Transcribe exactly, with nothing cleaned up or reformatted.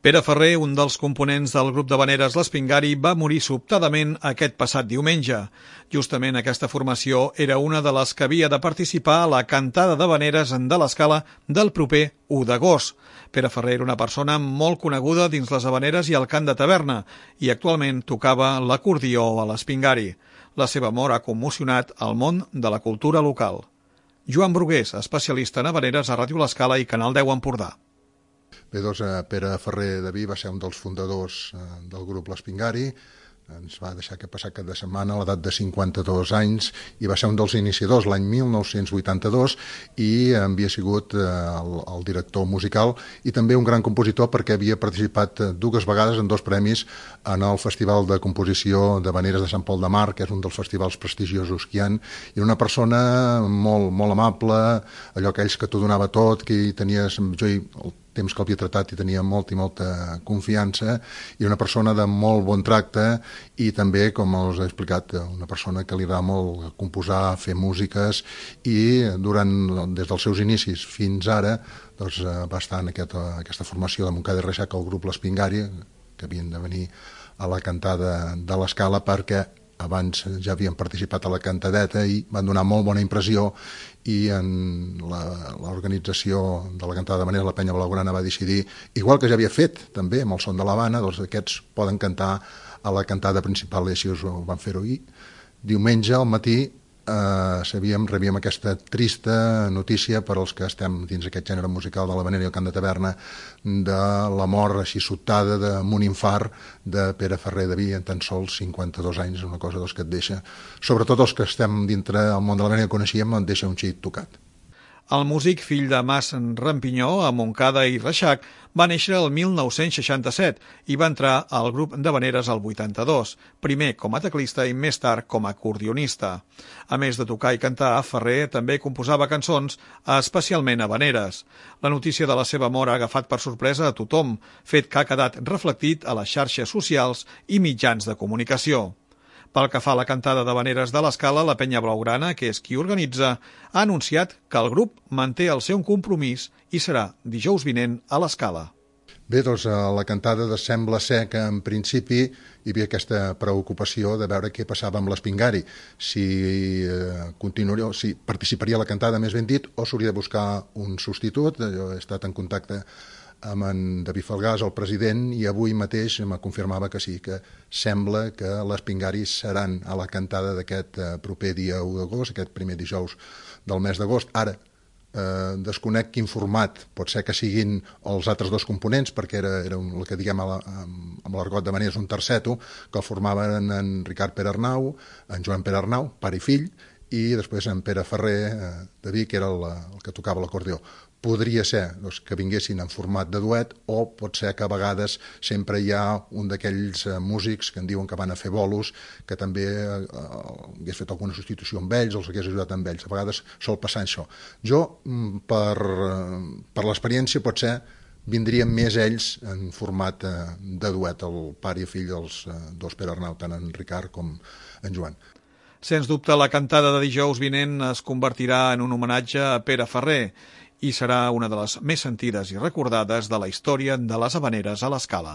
Pere Ferrer, un dels components del grup d'havaneres l'Espingari, va morir sobtadament aquest passat diumenge. Justament aquesta formació era una de les que havia de participar a la cantada d'havaneres de l'Escala del proper u d'agost. Pere Ferrer era una persona molt coneguda dins les havaneres i el cant de taverna i actualment tocava l'acordió a l'Espingari. La seva mort ha commocionat el món de la cultura local. Joan Brugués, especialista en havaneres a Ràdio l'Escala i Canal deu Empordà. Bé, doncs, Pere Ferrer de Vi va ser un dels fundadors del grup l'Espingari. Ens va deixar aquest passat cap de setmana a l'edat de cinquanta-dos anys i va ser un dels iniciadors l'any mil nou-cents vuitanta-dos i havia sigut el, el director musical i també un gran compositor perquè havia participat dues vegades en dos premis en el Festival de Composició d'Havaneres de Sant Pol de Mar, que és un dels festivals prestigiosos que hi ha, i una persona molt, molt amable, allò aquells que t'ho donava tot, que tenies, jo hi, el temps que l'havia tratat i tenia molta i molta confiança, i una persona de molt bon tracte i també, com us he explicat, una persona que li agrada molt composar, fer músiques, i durant, des dels seus inicis fins ara, doncs, va estar en aquesta, aquesta formació de Montcada i Reixac, el grup l'Espingari, que havien de venir a la cantada de l'Escala perquè abans ja havien participat a la cantadeta i van donar molt bona impressió, i en l'organització de la cantada d'havaneres, la Penya Blaugrana, va decidir, igual que ja havia fet també amb el Son de l'Havana, doncs aquests poden cantar a la cantada principal, i així ho van fer-ho. I diumenge al matí eh, sabíem, rebíem aquesta trista notícia per als que estem dins aquest gènere musical de l'havanera i el cant de taverna, de la mort així sobtada d'un infart de Pere Ferrer de Vi en tan sols cinquanta-dos anys, una cosa doncs, que et deixa, sobretot els que estem dintre del món de l'havanera que coneixíem, et deixa un xic tocat. El músic, fill de Mas Rampinyó, a Montcada i Reixac, va néixer el mil nou-cents seixanta-set i va entrar al grup d'havaneres al vuitanta-dos, primer com a teclista i més tard com a acordionista. A més de tocar i cantar, Ferrer també composava cançons, especialment havaneres. La notícia de la seva mort ha agafat per sorpresa a tothom, fet que ha quedat reflectit a les xarxes socials i mitjans de comunicació. Pel que fa a la cantada d'havaneres de l'Escala, la Penya Blaugrana, que és qui organitza, ha anunciat que el grup manté el seu compromís i serà dijous vinent a l'Escala. Bé, doncs a la cantada sembla ser que en principi hi havia aquesta preocupació de veure què passava amb l'Espingari, si, eh, continuaria, si participaria a la cantada, més ben dit, o s'hauria de buscar un substitut. Jo he estat en contacte amb en David Falgàs, el president, i avui mateix em confirmava que sí, que sembla que l'Espingari seran a la cantada d'aquest proper dia u d'agost, aquest primer dijous del mes d'agost. Ara, eh, desconec quin format, pot ser que siguin els altres dos components, perquè era, era un, el que diguem a la, amb l'argot de maneres un terceto, que el formaven en Ricard Pere Arnau, en Joan Pere Arnau, pare i fill, i després en Pere Ferrer eh, de Vi, que era el, el que tocava l'acordió. Podria ser doncs, que vinguessin en format de duet, o pot ser que a vegades sempre hi ha un d'aquells eh, músics que en diuen que van a fer bolos, que també eh, hagués fet alguna substitució amb ells, els hagués ajudat amb ells. A vegades sol passar això. Jo, per, per l'experiència, potser vindrien més ells en format eh, de duet, el pare i fill dels eh, dos Pere Arnau, tant en Ricard com en Joan. Sens dubte, la cantada de dijous vinent es convertirà en un homenatge a Pere Ferrer i serà una de les més sentides i recordades de la història de les havaneres a l'Escala.